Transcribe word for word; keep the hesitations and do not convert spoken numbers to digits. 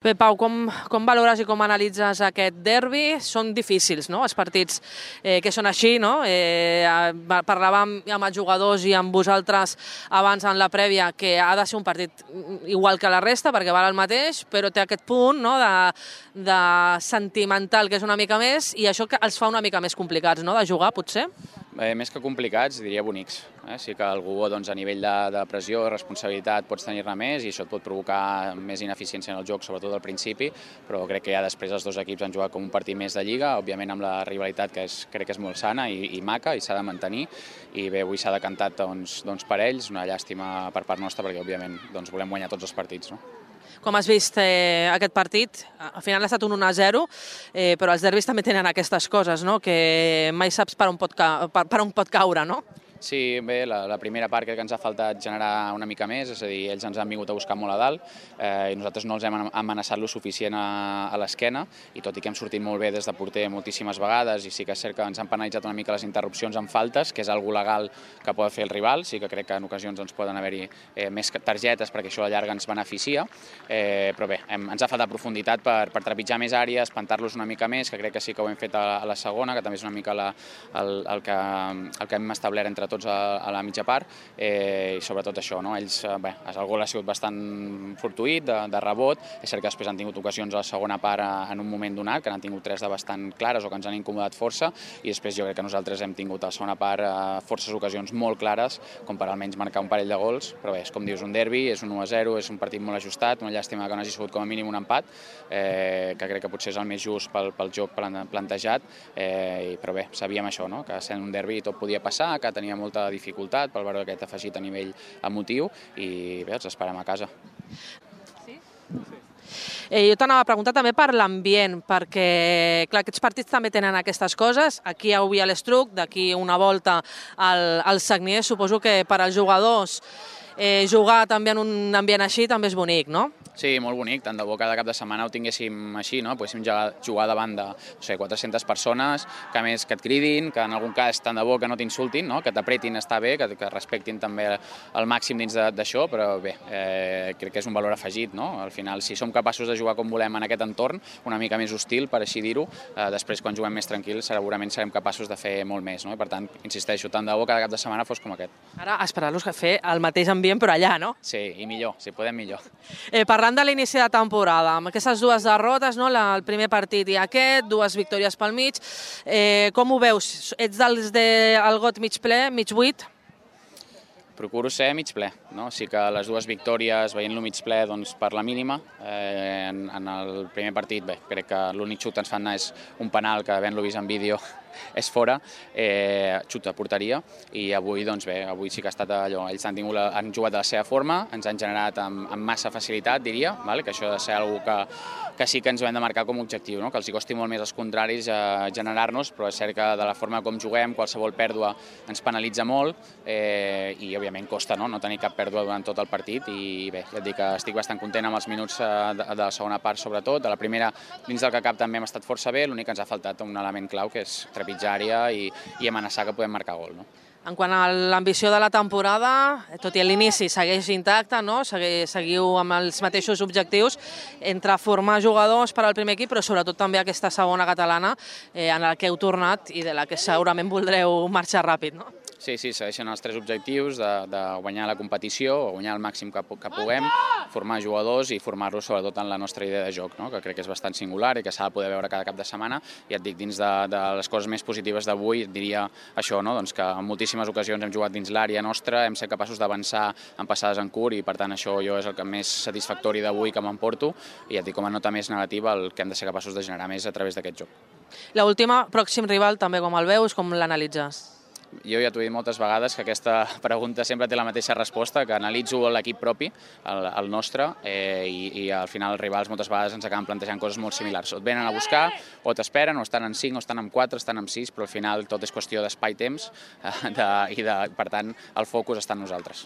Bé, Pau, com, com valores i com analitzes aquest derbi? Són difícils, no?, els partits eh, que són així, no? Eh, parlàvem amb els jugadors i amb vosaltres abans en la prèvia que ha de ser un partit igual que la resta perquè val el mateix, però té aquest punt, no?, de, de sentimental que és una mica més i això que els fa una mica més complicats, no?, de jugar, potser? Eh, més que complicats, diria bonics. Eh? Sí que algú doncs, a nivell de, de pressió, de responsabilitat, pots tenir-ne més i això et pot provocar més ineficiència en el joc, sobretot al principi, però crec que ja després els dos equips han jugat com un partit més de Lliga, òbviament amb la rivalitat que és, crec que és molt sana i, i maca i s'ha de mantenir, i bé, avui s'ha decantat doncs, doncs per ells, una llàstima per part nostra perquè òbviament doncs, volem guanyar tots els partits. No? Com has vist eh, aquest partit? Al final ha estat un un a zero, eh, però els derbis també tenen aquestes coses, no?, que mai saps per on pot, ca per, per on pot caure, no? Sí, bé, la, la primera part crec que ens ha faltat generar una mica més, és a dir, ells ens han vingut a buscar molt a dalt eh, i nosaltres no els hem amenaçat lo suficient a, a l'esquena i tot i que hem sortit molt bé des de porter moltíssimes vegades i sí que és cert que ens han penalitzat una mica les interrupcions en faltes, que és algo legal que pot fer el rival, sí que crec que en ocasions doncs, poden haver-hi eh, més targetes perquè això a la llarga ens beneficia, eh, però bé, hem, ens ha faltat profunditat per, per trepitjar més àrees, espantar-los una mica més, que crec que sí que ho hem fet a, a la segona, que també és una mica la, el, el, que, el que hem establert entre tots a, a la mitja part eh, i sobretot això, no? Ells, eh, bé, el gol ha sigut bastant fortuït, de, de rebot, és cert que després han tingut ocasions a la segona part a, en un moment donat, que n'han tingut tres de bastant clares o que ens han incomodat força i després jo crec que nosaltres hem tingut a la segona part eh, forces ocasions molt clares com per almenys marcar un parell de gols, però bé, és com dius, un derbi, és un u a zero, és un partit molt ajustat, una llàstima que no hagi sigut com a mínim un empat, eh, que crec que potser és el més just pel, pel joc plantejat, eh, però bé, sabíem això, no? Que sent un derbi tot podia passar, que tenia molta dificultat pel valor aquest afegit a nivell emotiu i bé, els esperem a casa. Sí? Eh, jo t'anava a preguntar també per l'ambient, perquè clar, aquests partits també tenen aquestes coses, aquí avui a l'Estruc, d'aquí una volta al, al Sagnier, suposo que per als jugadors eh, jugar també en un ambient així també és bonic, no? Sí, molt bonic, tant de bo cada cap de setmana ho tinguéssim així, no? Poguéssim jugar davant de no sé, quatre-centes persones, que a més que et cridin, que en algun cas tant de bo que no t'insultin, no? Que t'apretin està bé, que, que respectin també el màxim dins d'això, però bé, eh, crec que és un valor afegit, no? Al final, si som capaços de jugar com volem en aquest entorn, una mica més hostil, per així dir-ho, eh, després quan juguem més tranquils segurament serem capaços de fer molt més, no? I per tant, insisteixo, tant de bo cada cap de setmana fos com aquest. Ara esperar-los a fer el mateix ambient però allà, no? Sí, i millor, si podem millor. Eh, parlant de l'inici de temporada, amb aquestes dues derrotes, no? La, el primer partit i aquest, dues victòries pel mig, eh, com ho veus? Ets dels del got mig ple, mig buit? Procuro ser mig ple, no? Sí que les dues victòries, veient-lo mig ple, doncs per la mínima. Eh, en, en el primer partit, bé, crec que l'únic xut que ens fan anar és un penal que havent-lo vist en vídeo és fora, eh, xut a porteria, i avui, doncs bé, avui sí que ha estat allò, ells han, tingut la, han jugat de la seva forma, ens han generat amb, amb massa facilitat, diria, vale? Que això ha de ser una cosa que, que sí que ens ho hem de marcar com a objectiu, no? Que els hi costi molt més als contraris eh, generar-nos, però és cert que de la forma com juguem, qualsevol pèrdua ens penalitza molt, eh, i òbviament costa no? no tenir cap pèrdua durant tot el partit, i bé, ja et dic que estic bastant content amb els minuts eh, de, de la segona part sobretot, de la primera dins del que cap també hem estat força bé, l'únic que ens ha faltat un element clau que és trepitjar àrea i, i amenaçar que podem marcar gol. No? En quant a l'ambició de la temporada, tot i l'inici segueix intacte, no? Seguiu amb els mateixos objectius entre formar jugadors per al primer equip, però sobretot també aquesta segona catalana eh, en la que heu tornat i de la que segurament voldreu marxar ràpid, no? Sí, sí, segueixen els tres objectius de, de guanyar la competició, o guanyar el màxim que, que puguem, formar jugadors i formar-los sobretot en la nostra idea de joc, no? Que crec que és bastant singular i que s'ha de poder veure cada cap de setmana. I et dic, dins de, de les coses més positives d'avui, et diria això, no? Doncs que en moltíssimes ocasions hem jugat dins l'àrea nostra, hem estat capaços d'avançar en passades en curt i per tant això jo és el que més satisfactori d'avui que m'emporto i et dic com a nota més negativa el que hem de ser capaços de generar més a través d'aquest joc. L'última, pròxim rival, també com el veus, com l'analitzes? Jo ja t'ho he dit moltes vegades que aquesta pregunta sempre té la mateixa resposta, que analitzo l'equip propi, el, el nostre, eh, i, i al final els rivals moltes vegades ens acaben plantejant coses molt similars. O et venen a buscar, o t'esperen, o estan en cinc, o estan en quatre, estan en sis, però al final tot és qüestió d'espai-temps eh, de, i de, per tant el focus està en nosaltres.